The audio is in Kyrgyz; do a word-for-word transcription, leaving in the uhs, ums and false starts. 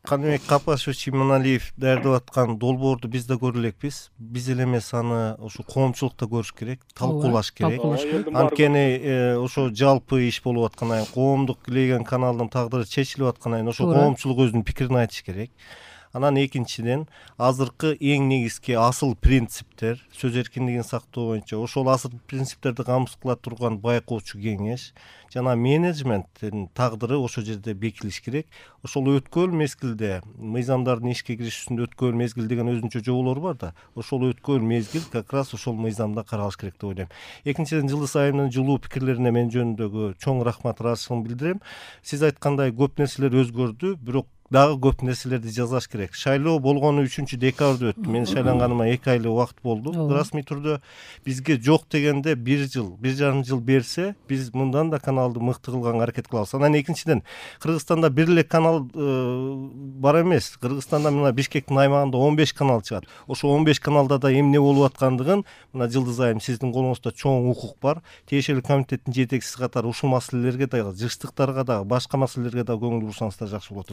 Каныбек Капашевич Иманалиев даярдап аткан долбоорду биз да көрө элекпиз. Биз эле эмес, аны ошо коомчулукта көрүш керек, талкуулаш керек. Анткени ошо жалпы иш болуп аткандан кийин, коомдук илеген каналдын тагдыры чечилип аткандан кийин ошо коомчулук өзүнүн пикирин айтыш керек. Анан экинчиден, азыркы эң негизги асыл принциптер, сөз эркиндигин сактоо боюнча ошол асыл принциптерди камсыз кыла турган байкоочу кеңеш жана менеджменттин тагдыры ошол жерде бекилиш керек. Ошол өткөл мезгилде мыйзамдардын ишке киришүүсүндө өткөл мезгил деген өзүнчө жоболор бар да, ошол өткөл мезгил как раз ошол мыйзамда каралыш керек деп ойлойм. Экинчиден, Жылдыз айымдын жылуу пикирлерине мен жөнүндөгү чоң рахмат, ыраазычылыгымды билдирем. Сиз айткандай көп нерселер өзгөрдү, бирок дагы көп нерселерди жасаш керек. Шайлоо болгону үчүнчү декабрда өттү. Мен шайланганыма эки айлык убакыт болду. Расмий түрдө бизге жок дегенде бир жыл, бир жарым жыл берсе, биз мындан да каналды мыкты кылганга аракет кылабыз. Анан экинчиден, Кыргызстанда бир эле канал бар эмес. Кыргызстанда мына Бишкектин аймагында он беш канал чыгат. Ошо он беш каналда да эмне болуп аткандыгын мына Жылдыз айым сиздин колуңузда чоң укук бар. Тиешелүү комитеттин жетекчиси катары ушул маселелерге дагы, жыштыктарга дагы, башка маселелерге дагы көңүл бурсаңыздар жакшы болот.